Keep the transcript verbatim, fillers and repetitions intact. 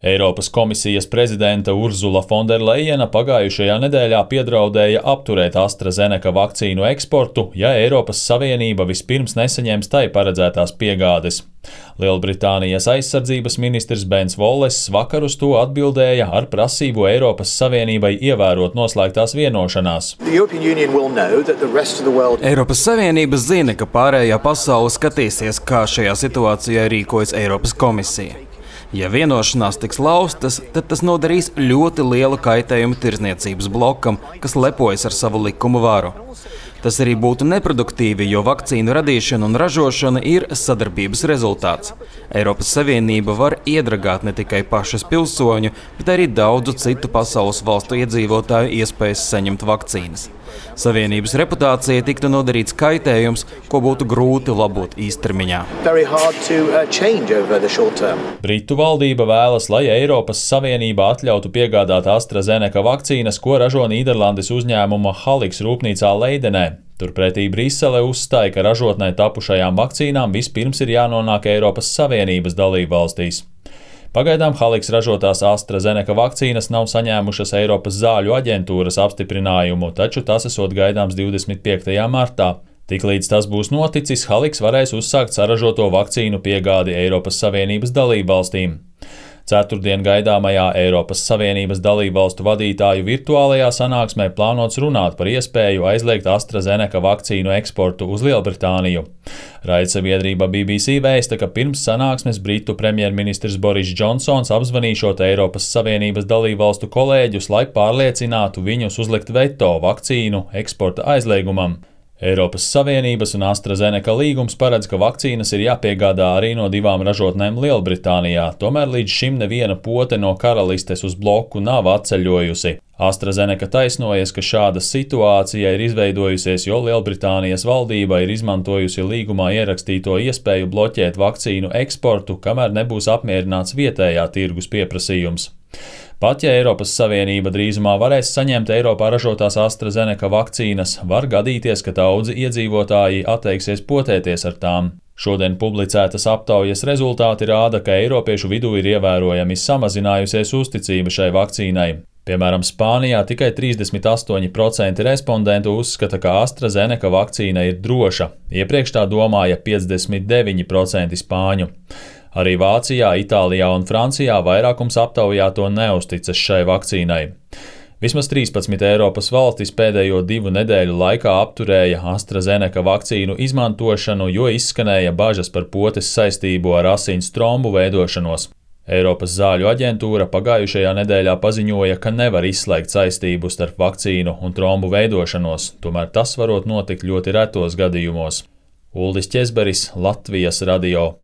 Eiropas komisijas prezidente Urzula Fonderlejena pagājušajā nedēļā piedraudēja apturēt AstraZeneca vakcīnu eksportu, ja Eiropas Savienība vispirms nesaņems tai paredzētās piegādes. Lielbritānijas aizsardzības ministrs Bens Voless vakar uz to atbildēja ar prasību Eiropas Savienībai ievērot noslēgtās vienošanās. Eiropas Savienība zina, ka pārējā pasaule skatīsies, kā šajā situācijā rīkojas Eiropas komisija. Ja vienošanās tiks laustas, tad tas nodarīs ļoti lielu kaitējumu tirdzniecības blokam, kas lepojas ar savu likumu varu. Tas arī būtu neproduktīvi, jo vakcīnu radīšana un ražošana ir sadarbības rezultāts. Eiropas Savienība var iedragāt ne tikai pašas pilsoņu, bet arī daudzu citu pasaules valstu iedzīvotāju iespējas saņemt vakcīnas. Savienības reputācija tiktu nodarīts kaitējums, ko būtu grūti labot īstermiņā. Britu valdība vēlas, lai Eiropas Savienība atļautu piegādāt AstraZeneca vakcīnas, ko ražo Nīderlandes uzņēmuma Halix rūpnīcā Leidenē. Turpretī Brisele uzstāja, ka ražotnē tapušajām vakcīnām vispirms ir jānonāk Eiropas Savienības dalībvalstīs. Pagaidām Halix ražotās AstraZeneca vakcīnas nav saņēmušas Eiropas zāļu aģentūras apstiprinājumu, taču tas esot gaidāms divdesmit piektajā martā. Tiklīdz tas būs noticis, Halix varēs uzsākt saražoto vakcīnu piegādi Eiropas Savienības dalībvalstīm. Ceturtdien gaidāmajā Eiropas Savienības dalībvalstu vadītāju virtuālajā sanāksmē plānots runāt par iespēju aizliegt AstraZeneca vakcīnu eksportu uz Lielbritāniju. Raidsabiedrība B B C vēsta, ka pirms sanāksmes Britu premjerministrs Boris Džonsons apzvanīšot Eiropas Savienības dalībvalstu kolēģus, lai pārliecinātu viņus uzlikt veto vakcīnu eksporta aizliegumam. Eiropas Savienības un AstraZeneca līgums paredz, ka vakcīnas ir jāpiegādā arī no divām ražotnēm Lielbritānijā, tomēr līdz šim neviena pote no karalistes uz bloku nav atceļojusi. AstraZeneca taisnojas, ka šāda situācija ir izveidojusies, jo Lielbritānijas valdība ir izmantojusi līgumā ierakstīto iespēju bloķēt vakcīnu eksportu, kamēr nebūs apmierināts vietējā tirgus pieprasījums. Pat ja Eiropas Savienība drīzumā varēs saņemt Eiropā ražotās AstraZeneca vakcīnas, var gadīties, ka daudzi iedzīvotāji atteiksies potēties ar tām. Šodien publicētas aptaujas rezultāti rāda, ka eiropiešu vidū ir ievērojami samazinājusies uzticība šai vakcīnai. Piemēram, Spānijā tikai trīsdesmit astoņi procenti respondentu uzskata, ka AstraZeneca vakcīna ir droša. Iepriekš tā domāja piecdesmit deviņi procenti spāņu. Arī Vācijā, Itālijā un Francijā vairākums aptaujāto neusticas šai vakcīnai. Vismaz trīspadsmit Eiropas valstis pēdējo divu nedēļu laikā apturēja AstraZeneca vakcīnu izmantošanu, jo izskanēja bažas par potes saistību ar asins trombu veidošanos. Eiropas zāļu aģentūra pagājušajā nedēļā paziņoja, ka nevar izslēgt saistību starp vakcīnu un trombu veidošanos, tomēr tas varot notikt ļoti retos gadījumos. Uldis Ķezberis, Latvijas radio.